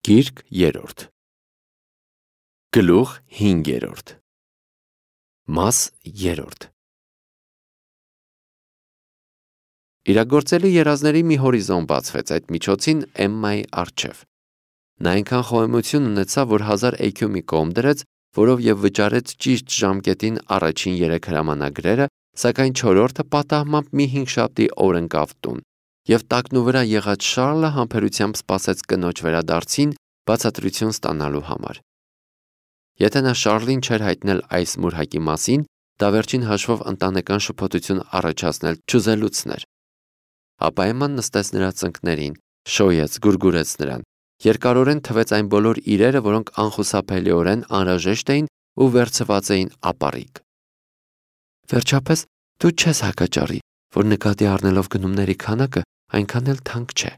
Գիրք 3 Գլուխ 5 Մաս 3 Իրագործելի երազների մի հորիզոն բացվեց այդ միջոցին Էմմայի առջև։ Նա այնքան խոհեմություն ունեցավ, որ 1000 էքյու մի կողմ դրեց, որով և վճարեց ճիշտ ժամկետին առաջին 3 հրամանագրերը, սակայն 4-րդը պատահմամբ մի հինգշաբթի օր ընկավ տուն, և տակնուվրա եղած Շառլը համբերությամբ սպասեց կնոջ վերադարձին բացատրություն ստանալու համար։ Եթե նա Շառլին չէր հայտնել այս մուրհակի մասին, դա վերջին հաշվով ընտանեկան շփոթություն առաջացնել չուզելուցն էր։ Ապա Էմման նստեց նրա ծնկներին, շոյեց, գուրգուրեց նրան, երկարորեն թվեց այն բոլոր իրերը, որոնք անխուսափելիորեն անհրաժեշտ էին ու վերցված էին ապառիկ։ Վերջապես դու չես հակաճառի, որ նկատի առնելով գնումների քանակը այնքան էլ թանկ չէ։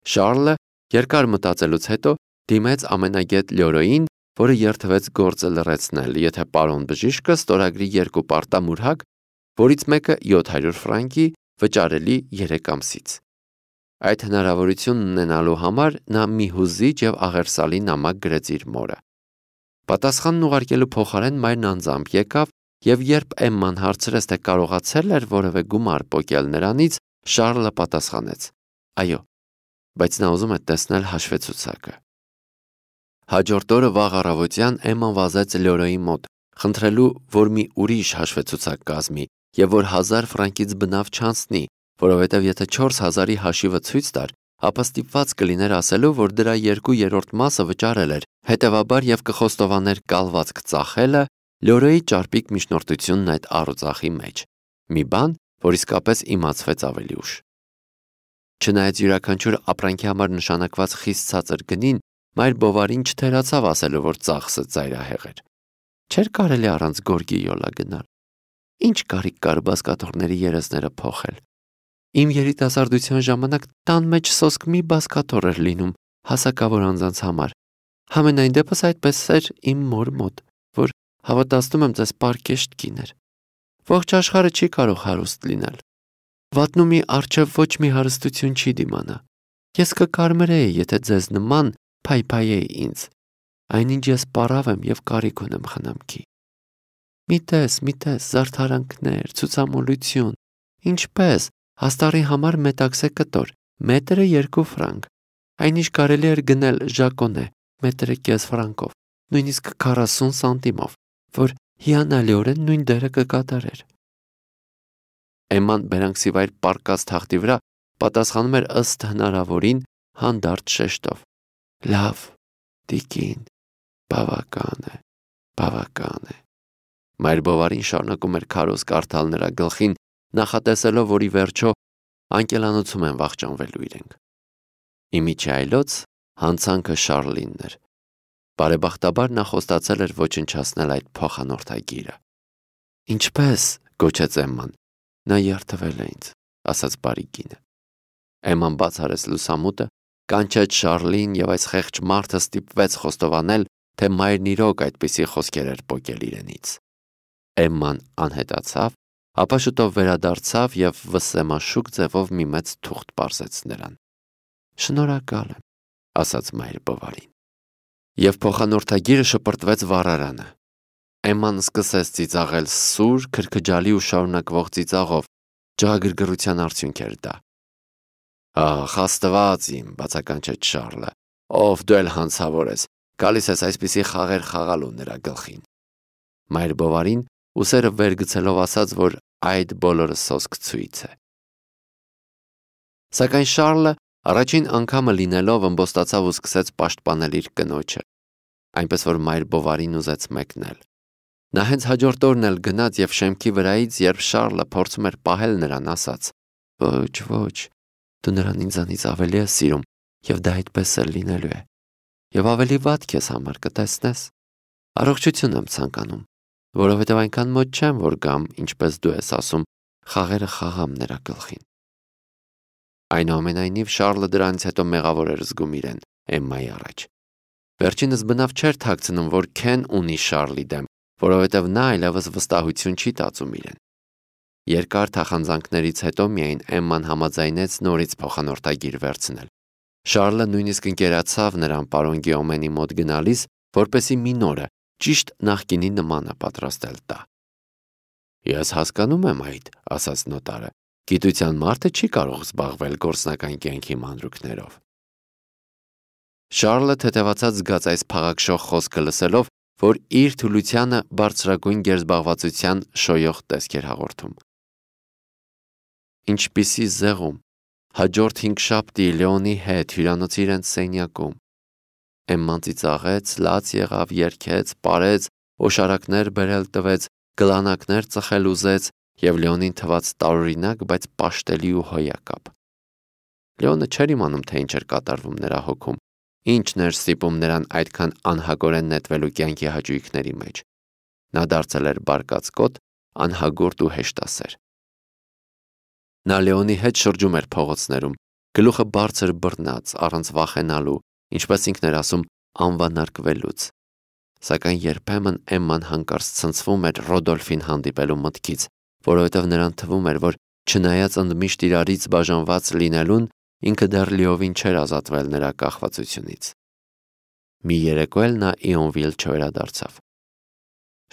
Շառլը երկար մտածելուց հետո դիմեց ամենագետ Լյորոյին, որը երդվեց գործը լրացնել, եթե պարոն բժիշկը ստորագրի 2 պարտամուրհակ, որից մեկը 700 ֆրանկի, վճարելի 3 ամսից։ Այդ հնարավորությունն ունենալու համար նա մի հուզիչ և աղերսալի նամակ գրեց իր մորը։ Պատասխանն ուղարկելու փոխարեն մայրն անձամբ եկավ, և երբ Էմման հարցրեց, թե կարողացել էր որևէ գումար պոկել նրանից, Շառլը պատասխանեց. այո, բայց նա ուզում է տեսնել հաշվեցուցակը։ Հաջորդ օրը վաղ առավոտյան Էմման վազեց Լյորոյի մոտ, խնդրելու, որ մի ուրիշ հաշվեցուցակ կազմի, և որ 1000 ֆրանկից բնավ չանցնի, որովհետև եթե 4000-ի հաշիվը ցույց տար, ապա ստիպված կլիներ ասելու, որ դրա 2/3 մասը վճարել էր, հետևաբար և կխոստովաներ կալվածք ծախելը, Լյորոյի ճարպիկ միջնորդությունն այդ առուծախի մեջ, մի բան, որ իսկապես իմացվեց ավելի ուշ։ Չնայած յուրաքանչյուր ապրանքի համար նշանակված խիստ ցածր գնին, մայր Բովարին չթերացավ ասելու, որ ծախսը ծայրահեղ էր։ Չէր կարելի առանց գորգի յոլա գնալ։ Ինչ կարիք կար բազկաթոռների երեսները փոխել։ Իմ երիտասարդության ժամանակ տան մեջ սոսկ մի բազկաթոռ էր լինում հասակավոր անձանց համար։ Համենայն դեպս այդպես էր իմ մոր մոտ, որ հավատացնում եմ ձեզ պարկեշտ կին էր։ Ողջ աշխարհը չի կարող հարուստ լինել։ Վատնումի առջև ոչ մի հարստություն չի դիմանա։ Ես կկարմրեի, եթե ձեզ նման փայփայեի ինձ, այնինչ ես պառավ եմ և կարիք ունեմ խնամքի։ Մի տես, զարդարանքներ, ցուցամոլություն, ինչպես, հաստառի համար մետաքսե կտոր, մետրը 2 ֆրանկ, այնինչ կարելի էր գնել ժակոնե, մետրը կես ֆրանկով, նույնիսկ 40 սանտիմով, որ հիանալիորեն նույն դերը կկատարեր։ Էմման բերանքսիվայր պառկած թախտի վրա պատասխանում էր ըստ հնարավորին հանդարտ շեշտով. Լավ, տիկին, բավական է։ Մայր Բովարին շարունակում էր քարոզ կարդալ նրա գլխին, նախատեսելով, որ ի վերջո անկելանոցում են վախճանվելու իրենք։ Իմիջի այլոց հանցանքը Շառլինն էր։ Բարեբախտաբար նա խոստացել էր ոչնչացնել այդ փոխանորդագիրը։ Ինչպես, գոչեց Էմման, նա երդվել է ինձ, ասաց բարի կինը։ Էմման բաց արեց լուսամուտը, կանչեց Շառլին, և այս խեղճ մարդը ստիպվեց խոստովանել, թե մայրն իրոք այդպիսի խոսքեր էր պոկել իրենից։ Էմման անհետացավ, ապա շուտով վերադարձավ և վսեմաշուկ ձևով մի մեծ թուղթ պարզեց նրան։ Շնորհակալ եմ, ասաց մայր Բովարին։ Եվ փոխանորդագիրը շպրտվեց վառարանը։ Էմման սկսեց ծիծաղել սուր, քրքջալի ու շարունակվող ծիծաղով, ջահագրգռության արդյունք էր դա։ Ախ, Աստված իմ, բացականչեց Շառլը, ով դու էլ հանցավոր ես, գալիս ես այսպիսի խաղեր խաղալու նրա գլխին։ Մայր Բովարին ուսերը վեր գցելով ասաց, որ այդ բոլորը սոսկ ցույց է։ Սակայն Շառլը առաջին անգամը լինելով ըմբոստացավ ու սկսեց պաշտպանել իր կնոջը, այնպես որ մայր Բովարին ուզեց մեկնել։ Նա հենց հաջորդ օրն էլ գնաց և շեմքի վրայից, երբ Շառլը փորձում էր պահել նրան, ասաց. Ոչ, դու նրան ինձանից ավելի ես սիրում, և դա այդպես էլ լինելու է։ Եվ ավելի վատ քեզ համար կտեսնես։ Առողջություն եմ ցանկանում, որովհետև այնքան մոտ չեմ, որ գամ, ինչպես դու ես ասում, խաղերը խաղամ նրա գլխին։ Այնուամենայնիվ Շառլը դրանից հետո մեղավոր էր զգում իրեն Էմմայի առաջ։ Վերջինս բնավ չէր թաքցնում, որ Քեն ունի Շառլի դեմ, որովհետև նա այլևս վստահություն չի տածում իրեն։ Երկար թախանձանքներից հետո միայն Էմման համաձայնեց նորից փոխանորդագիր վերցնել։ Շարլը նույնիսկ ընկերացավ նրան պարոն Գիոմենի մոտ գնալիս, որպեսզի մի նորը, ճիշտ նախկինի նմանը պատրաստել տա։ Ես հասկանում եմ այդ, ասաց նոտարը, գիտության մարդը չի կարող զբաղվել գործնական կյանքի մանրուքներով։ Շարլը թեթևացած զգաց այս փաղաքշող խոսքը լսելով, որ իր թուլությանը բարձրագույն գերզբաղվածության շոյող տեսք էր հաղորդում։ Ինչպիսի զեղում, հաջորդ 5 շաբթի Լեոնի հետ հյուրանոցի իրենց սենյակում։ Էմման ծիծաղեց, լաց եղավ, երգեց, պարեց, օշարակներ բերել տվեց, գլանակներ ծխել ուզեց և Լեոնին թվաց տարօրինակ, բայց պաշտելի ու հոյակապ։ Լեոնը չէր իմանում, թե ինչ էր կատարվում նրա հոգում, ինչն էր ստիպում նրան այդքան անհագորեն նետվելու կյանքի հաճույքների մեջ։ Նա դարձել էր բարկացկոտ, անհագորդ ու հեշտասեր։ Նա Լեոնի հետ շրջում էր փողոցներում, գլուխը բարձր բռնած, առանց վախենալու, ինչպես ինքն էր ասում, անվանարկվելուց։ Սակայն երբեմն Էմման հանկարծ ցնցվում էր Ռոդոլֆին հանդիպելու մտքից, որովհետև նրան թվում էր, որ չնայած ընդմիշտ իրարից բաժանված լինելուն, ինքը դեռ լիովին չէր ազատվել նրա կախվածությունից։ Մի երեկո էլ նա Իոնվիլ չվերադարձավ։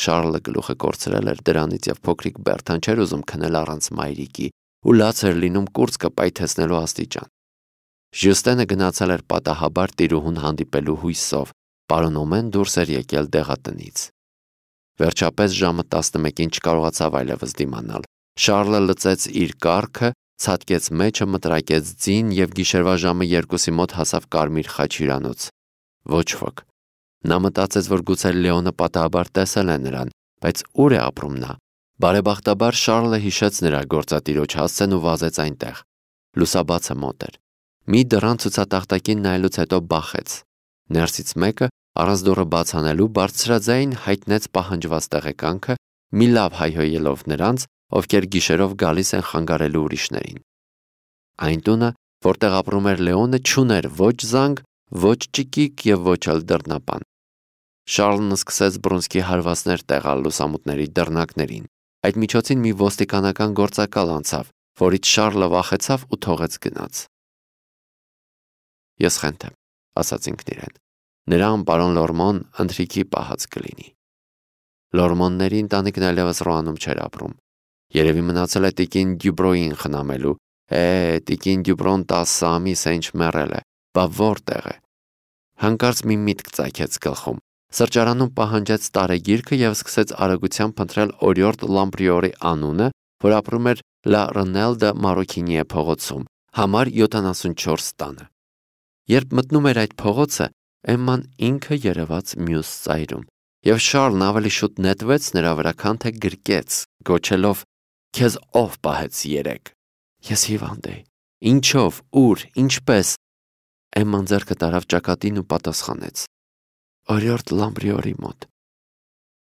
Շարլը գլուխը կորցրել էր դրանից և փոքրիկ Բերթան չէր ուզում քնել առանց մայրիկի ու լաց էր լինում կուրծքը պայթեցնելու աստիճան։ Ժյուստենը գնացել էր պատահաբար տիրուհուն հանդիպելու հույսով, պարոն Օմեն դուրս էր եկել դեղատնից։ Վերջապես ժամը 11-ին չկարողացավ այլևս դիմանալ։ Շարլը լծեց իր կառքը, ցատկեց մեջը, մտրակեց ձին և գիշերվա ժամը 2-ի մոտ հասավ Կարմիր խաչ հյուրանոց։ Ոչ ոք։ Նա մտածեց, որ գուցե Լեոնը պատահաբար տեսել է նրան, բայց ուր է ապրում նա։ Բարեբախտաբար Շարլը հիշեց նրա գործատիրոջ հասցեն ու վազեց այնտեղ։ Լուսաբացը մոտ էր։ Մի դռան ցուցատախտակին նայելուց հետո բախեց։ Ներսից մեկը, առանց դուռը բաց անելու, բարձրաձայն հայտնեց պահանջված տեղեկանքը, մի լավ հայհոյելով նրանց, ովքեր գիշերով գալիս են խանգարելու ուրիշներին։ Այն տունը, որտեղ ապրում էր Լեոնը, չուներ ոչ զանգ, ոչ ճկիկ և ոչ էլ դռնապան։ Շարլն սկսեց բռունցքի հարվածներ տեղալ լուսամուտների դռնակներին։ Այդ միջոցին մի ոստիկանական գործակալ անցավ, որից Շարլը վախեցավ ու թողեց գնաց։ Ես խենթ եմ, ասաց ինքն իրեն։ Նրան պարոն Լորմոն ընթրիքի պահած կլինի։ Լորմոնների ընտանիքն այլևս Ռոանում չէր ապրում։ Երևի մնացել է տիկին Դյուբրոյին խնամելու։ Տիկին Դյուբրոն 10 ամիս է ինչ մեռել է, բա որտեղ է։ Հանկարծ մի միտք ծագեց գլխում։ Սրճարանում պահանջեց տարեգիրքը և սկսեց արագությամբ փնտրել օրիորդ Լամպրիորի անունը, որ ապրում էր Լա Ռնել դե Մարոքինիե փողոցում, համար 74 տանը։ Երբ մտնում էր այդ փողոցը, Էմման ինքը երևաց մյուս ծայրում, և Շարլն ավելի շուտ նետվեց նրա վրա, քան թե գրկեց, գոչելով. «Քեզ ով պահեց երեկ»։ Ես հիվանդ էի։ Ինչով, ուր, ինչպես։ Էմման ձեռքը տարավ ճակատին ու պատասխանեց. Օրիորդ Լամպրիորի մոտ։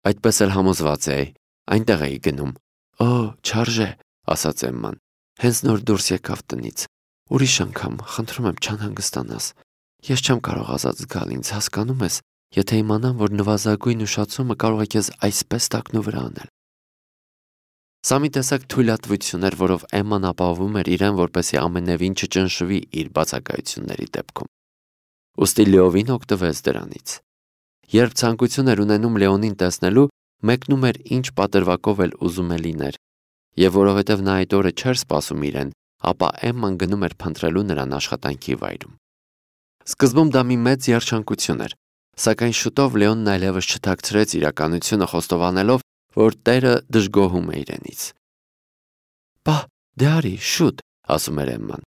Այդպես էլ համոզված էի, այնտեղ էի գնում։ Օ, չարժե, ասաց Էմման, հենց նոր դուրս եկավ տնից։ Ուրիշ անգամ, խնդրում եմ չանհանգստանաս։ Ես չեմ կարող ազատ զգալ ինձ, հասկանում ես, եթե իմանամ, որ նվազագույն ուշացումը կարող է քեզ այսպես տակնու վրա անել։ Սա մի տեսակ թույլատվություն էր, որով Էմման ապահովում էր իրեն, որպեսզի ամենևին չճնշվի իր բացակայությունների դեպքում։ Ուստի լիովին օգտվեց դրանից։ Երբ ցանկություն էր ունենում Լեոնին տեսնելու, մեկնում էր ինչ պատրվակով էլ ուզում է լիներ, և որովհետև նա այդ օրը չէր սպասում իրեն, ապա Էմման գնում էր փնտրելու նրան աշխատանքի վայրում։ Սկզբում դա մի մեծ երջանկություն էր, սակայն շուտով Լեոնն այլևս չթաքցրեց իրականությունը, խոստովանելով, որ տերը դժգոհում է իրենից։ Պահ, դե արի, շուտ, ասում էր Էմման,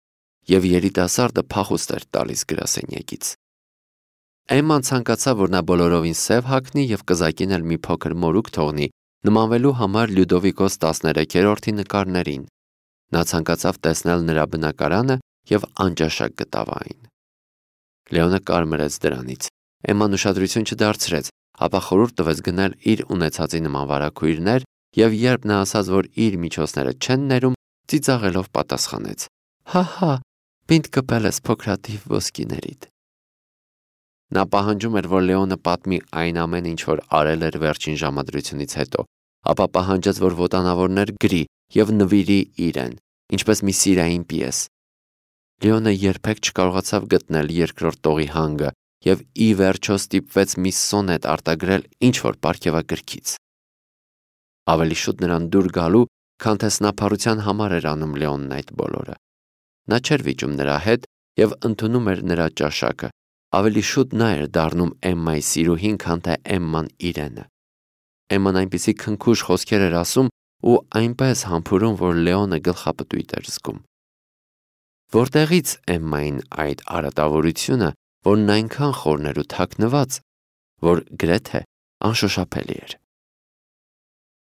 և երիտասարդը փախուստ էր տալիս գրասենյակից։ Էմման ցանկացավ, որ նա բոլորովին սև հագնի և կզակին էլ մի փոքր մորուք թողնի, նմանվելու համար Լյուդովիկոս 13-րդի նկարներին։ Նա ցանկացավ տեսնել նրա բնակարանը և անճաշակ գտավ այն։ Լեոնը կարմրեց դրանից։ Էմման ուշադրություն չդարձրեց, ապա խորհուրդ տվեց գնել իր ունեցածի նման վարագույրներ և երբ նա ասաց, որ իր միջոցները չեն ներում, ծիծաղելով պատասխանեց. Հա, պինդ կպել ես փոքրաթիվ ոսկիներիդ։ Նա պահանջում էր, որ Լեոնը պատմի այն ամենը, ինչ որ արել էր վերջին ժամադրությունից հետո, ապա պահանջեց, որ ոտանավորներ գրի և նվիրի իրեն, ինչպես մի սիրային պիես։ Լեոնը երբեք չկարողացավ գտնել երկրորդ տողի հանգը և ի վերջո ստիպվեց մի սոնետ արտագրել ինչ-որ պարգևագրքից։ Ավելի շուտ նրան դուր գալու, քան թե սնափառության համար էր անում Լեոնն այդ բոլորը։ Նա չէր վիճում նրա հետ և ընդունում էր նրա ճաշակը, ավելի շուտ նա էր դառնում Էմմայի սիրուհին, քան թե Էմման իրենը։ Էմման այնպիսի քնքուշ խոսքեր էր ասում ու այնպես համբուրում, որ Լեոնը գլխապտույտ էր զգում։ Որտեղից Էմմային այդ արատավորությունը, որն այնքան խորն էր ու թաքնված, որ գրեթե անշոշափելի էր։